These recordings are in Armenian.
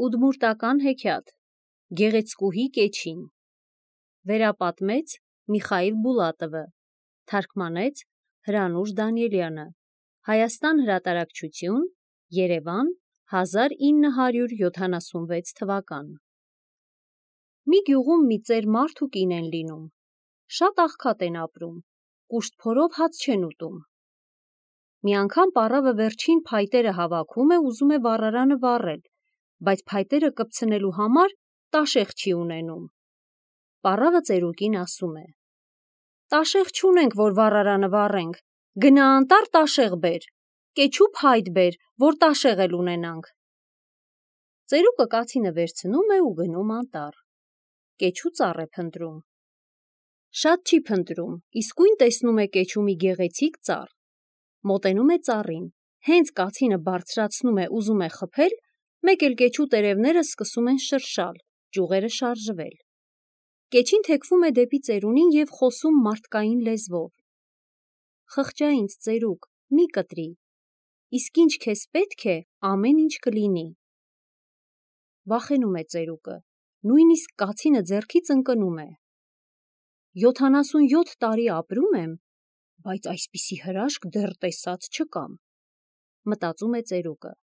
Ուդմուրտական հեքիաթ Գեղեցկուհի կեչին Վերապատմեց Միխայիլ Բուլատովը Թարգմանեց Հրանուշ Դանիելյանը Հայաստան հրատարակչություն Երևան 1976 թվական Մի գյուղում մի ծեր մարդ ու կին են լինում Շատ աղքատ են ապրում Կուշտ փորով հաց չեն ուտում Մի անգամ պառավը վերջին փայտերը հավաքում է ուզում է վառարանը վառել բայց փայտերը կպցնելու համար տաշեղ չի ունենում։ Պառավը ծերուկին ասում է. Տաշեղ չունենք, որ վառարանը վառենք, գնա անտառ տաշեղ բեր, կեչու փայտ բեր, որ տաշեղ էլ ունենանք։ Ծերուկը կացինը վերցնում է ու գնում անտառ։ Կեչու ծառ է փնտրում։ Շատ չի փնտրում, իսկույն տեսնում է կեչու մի գեղեցիկ ծառ։ Մոտենում է ծառին, հենց կացինը բարձրացնում է ուզում է խփել, մեկ էլ կեչու տերևները սկսում են շրշալ, ճյուղերը շարժվել։ Կեչին թեքվում է դեպի ծերունին և խոսում մարդկային լեզվով. Խղճա ինձ ծերուկ, մի կտրի, իսկ ինչ քեզ պետք է, ամեն ինչ կլինի։ Վախենում է ծերուկը, նույնիսկ կացինը ձեռքից ընկնում է։ 77 տարի ապրում եմ, բայց այսպիսի հրաշք դեռ տեսած չկամ, մտածում է ծերուկը։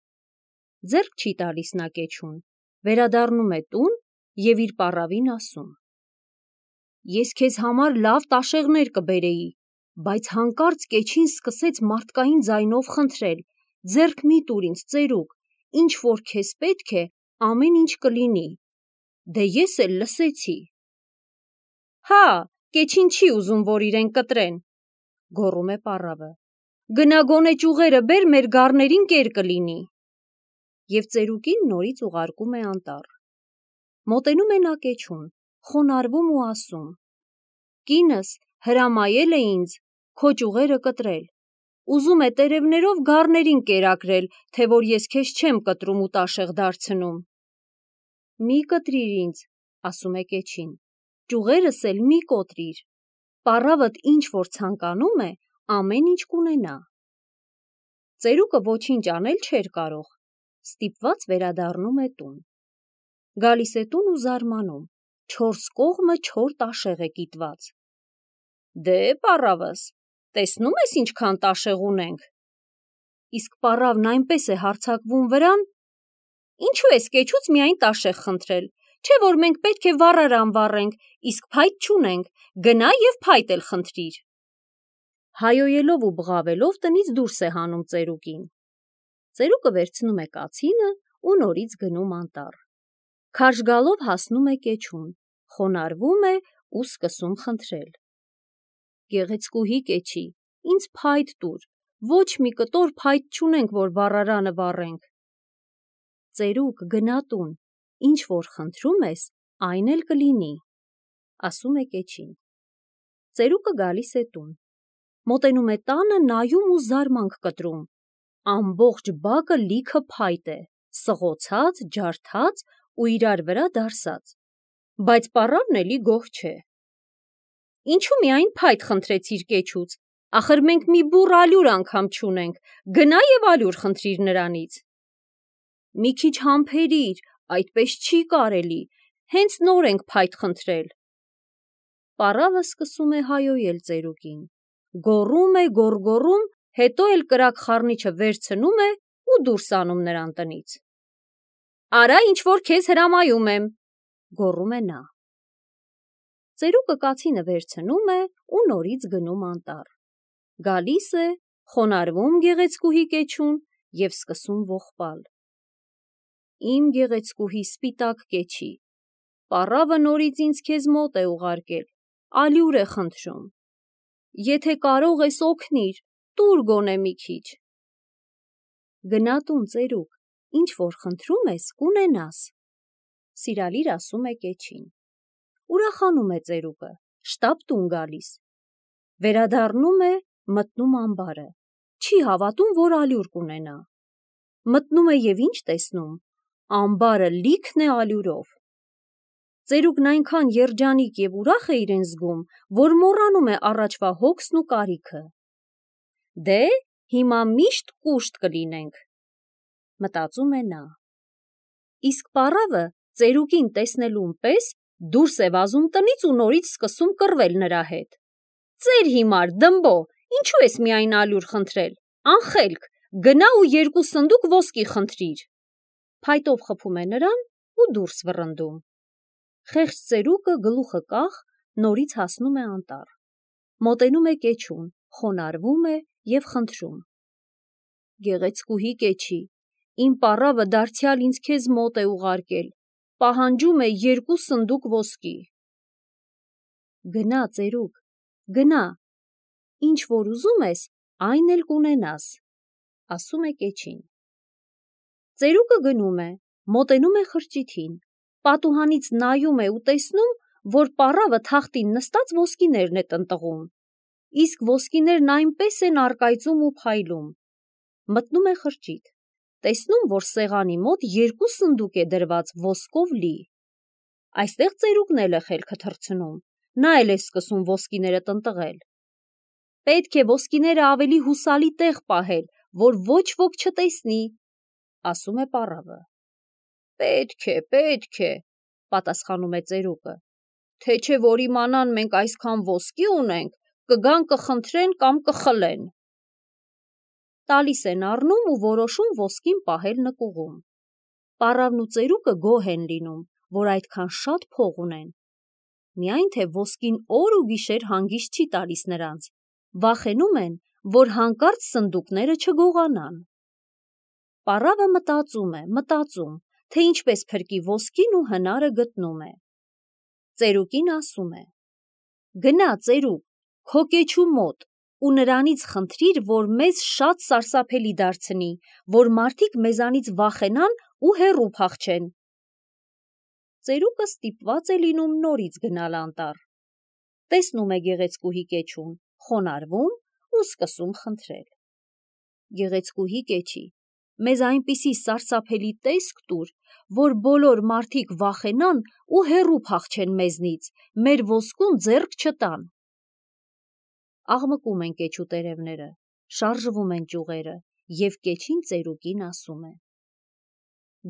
Ձեռք չի տալիս նա կեչուն, վերադառնում է տուն և իր պառավին ասում. Ես քեզ համար լավ տաշեղներ կբերեի, բայց հանկարծ կեչին սկսեց մարդկային ձայնով խնդրել. ձեռք մի տուր ինձ ծերուկ, ինչ որ քեզ պետք է, ամեն ինչ կլինի։ Դե ես էլ լսեցի։ Հա, կեչին չի ուզում, որ իրեն կտրեն, գոռում է պառավը։ Գնա գոնե ճյուղերը բեր, մեր գառներին կեր կլինի։ Եվ ծերուկին նորից ուղարկում է անտառ։ Մոտենում է նա կեչուն, խոնարհվում ու ասում. Կինս հրամայել է ինձ քո ճյուղերը կտրել, ուզում է տերևներով գառներին կերակրել, թե որ ես քեզ չեմ կտրում ու տաշեղ դարձնում։ Մի կտրիր ինձ, ասում է կեչին, ճյուղերս էլ մի կոտրիր, պառավդ ինչ որ ցանկանում է, ամեն ինչ կունենա։ Ծերուկը ոչինչ անել չէր կարող, ստիպված վերադառնում է տուն։ Գալիս է տուն ու զարմանում, 4 կողմը չոր տաշեղ է կիտված։ Դե պառավս, տեսնում ես ինչքան տաշեղ ունենք։ Իսկ պառավն այնպես է հարձակվում վրան, ինչու ես կեչուց միայն տաշեղ խնդրել, չէ որ մենք պետք է վառարան վառենք, իսկ փայտ չունենք, գնա և փայտ էլ խնդրիր։ Հայոյելով ու բղավելով տնից դուրս է հանում ծերուկին։ Ծերուկը վերցնում է կացինը ու նորից գնում անտառ։ Քարշ գալով հասնում է կեչուն, խոնարհվում է ու սկսում խնդրել. Գեղեցկուհի կեչի, ինձ փայտ տուր, ոչ մի կտոր փայտ չունենք, որ վառարանը վառենք։ Ծերուկ գնա տուն, ինչ որ խնդրում ես, այն էլ կլինի, ասում է կեչին։ Ծերուկը գալիս է տուն։ Մոտենում է տանը, նայում ու զարմանք կտրում։ Ամբողջ բակը լիքը փայտ է, սղոցած, ջարդած ու իրար վրա դարսած, բայց պառավն էլի գոհ չէ։ Ինչու միայն փայտ խնդրեցիր կեչուց, ախր մենք մի բուռ ալյուր անգամ չունենք, գնա և ալյուր խնդրիր նրանից։ Մի քիչ համբերիր, այդպես չի կարելի, հենց նոր ենք փայտ խնդրել։ Պառավը սկսում է հայոյել ծերուկին, գոռում է, գոռգոռում, հետո էլ կրակ խառնիչը վերցնում է ու դուրս անում նրան տնից։ Արա, ինչ որ քեզ հրամայում եմ, գոռում է նա։ Ծերուկը կացինը վերցնում է ու նորից գնում անտառ։ Գալիս է, խոնարհվում գեղեցկուհի կեչուն և սկսում ողբալ։ Իմ գեղեցկուհի սպիտակ կեչի, պառավը նորից ինձ քեզ մոտ է ուղարկել, ալյուր է խնդրում։ Եթե կարող ես օգնիր, տուր գոնե մի քիչ։ Գնա տուն ծերուկ, ինչ որ խնդրում ես, կունենաս, սիրալիր ասում է կեչին։ Ուրախանում է ծերուկը, շտապ տուն գալիս։ Վերադառնում է, մտնում ամբարը, չի հավատում, որ ալյուր կունենա։ Մտնում է և ինչ տեսնում, ամբարը լիքն է ալյուրով։ Ծերուկն այնքան երջանիկ և ուրախ է իրեն զգում, որ մոռանում է առաջվա հոգսն ու կարիքը։ Դե, հիմա միշտ կուշտ կլինենք, մտածում է նա։ իսկ պառավը ծերուկին տեսնելուն պես դուրս է վազում տնից ու նորից սկսում կռվել նրա հետ։ Ծեր հիմար, դմբո, ինչու ես միայն ալյուր խնդրել, անխելք, գնա ու 2 սնդուկ ոսկի խնդրիր։ Փայտով խփում է նրան ու դուրս վռնդում։ Խեղճ ծերուկը գլուխը կախ նորից հասնում է անտառ։ Մոտենում է կեչուն, խոնարհվում է և խնդրում. Գեղեցկուհի կեչի, իմ պառավը դարձյալ ինձ քեզ մոտ է ուղարկել, պահանջում է 2 սնդուկ ոսկի։ Գնա, ծերուկ, գնա, ինչ որ ուզում ես, այն էլ կունենաս, ասում է կեչին։ Ծերուկը գնում է, մոտենում է խրճիթին, պատուհանից նայում է ու տեսնում, որ պառավը թախտին նստած ոսկիներն է տնտղում, իսկ ոսկիներն այնպես են առկայծում ու փայլում։ Մտնում է խրճիթ, տեսնում, որ սեղանի մոտ 2 սնդուկ է դրված ոսկով լի։ Այստեղ ծերուկն էլ է խելքը թռցնում, նա էլ է սկսում ոսկիները տնտղել։ Պետք է ոսկիները ավելի հուսալի տեղ պահել, որ ոչ ոք չտեսնի, ասում է պառավը։ Պետք է, պատասխանում է ծերուկը, թե չէ որ իմանան մենք այսքան ոսկի ունենք, կգան կխնդրեն կամ կխլեն։ Տալիս են առնում ու որոշում ոսկին պահել նկուղում։ Պառավն ու ծերուկը գոհ են լինում, որ այդքան շատ փող ունեն։ Միայն թե ոսկին օր ու գիշեր հանգիստ չի տալիս նրանց, վախենում են, որ հանկարծ սնդուկները չգողանան։ Պառավը մտածում, թե ինչպես փրկի ոսկին ու հնարը գտնում է։ Ծերուկին ասում է. Գնա, ծերուկ, քո կեչու մոտ ու նրանից խնդրիր, որ մեզ շատ սարսափելի դարձնի, որ մարդիկ մեզանից վախենան ու հեռու փախչեն։ Ծերուկը ստիպված է լինում նորից գնալ անտառ։ Տեսնում է գեղեցկուհի կեչուն, խոնարհվում ու սկսում խնդրել. Գեղեցկուհի կեչի, մեզ այնպիսի սարսափելի տեսք տուր, որ բոլոր մարդիկ վախենան ու հեռու փախչեն մեզնից, մեր ոսկուն ձեռք չտան։ Աղմկում են կեչու տերևները, շարժվում են ճյուղերը, և կեչին ծերուկին ասում է.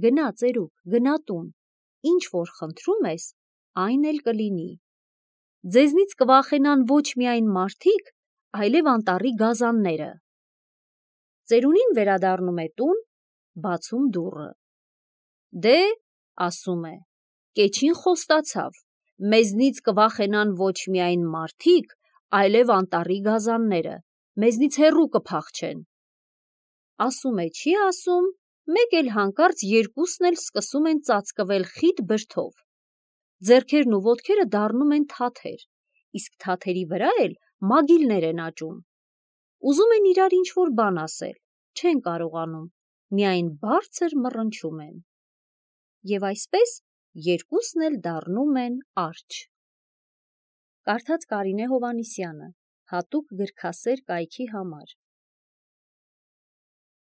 Գնա, ծերուկ, գնա տուն, ինչ որ խնդրում ես, այն էլ կլինի։ Ձեզնից կվախենան ոչ միայն մարդիկ, այլև անտառի գազանները։ Ծերունին վերադառնում է տուն, բացում դուռը։ Դե, ասում է, կեչին խոստացավ, մեզնից կվախենան ոչ միայն մարդիկ, այլև անտառի գազանները, մեզնից հեռու կփախչեն։ Ասում է, չի ասում, մեկ էլ հանկարծ 2-ն էլ սկսում են ծածկվել խիտ բրդով։ Ձեռքերն ու ոտքերը դառնում են թաթեր, իսկ թաթերի վրա էլ մագիլներ են աճում։ Ուզում են իրար ինչ-որ բան ասել, չեն կարողանում, միայն բարձր մռնչում են։ Եվ այսպես 2-ն էլ դառնում են արջը։ Կարդաց Կարինե Հովհաննիսյանը, հատուկ գրքասեր կայքի համար։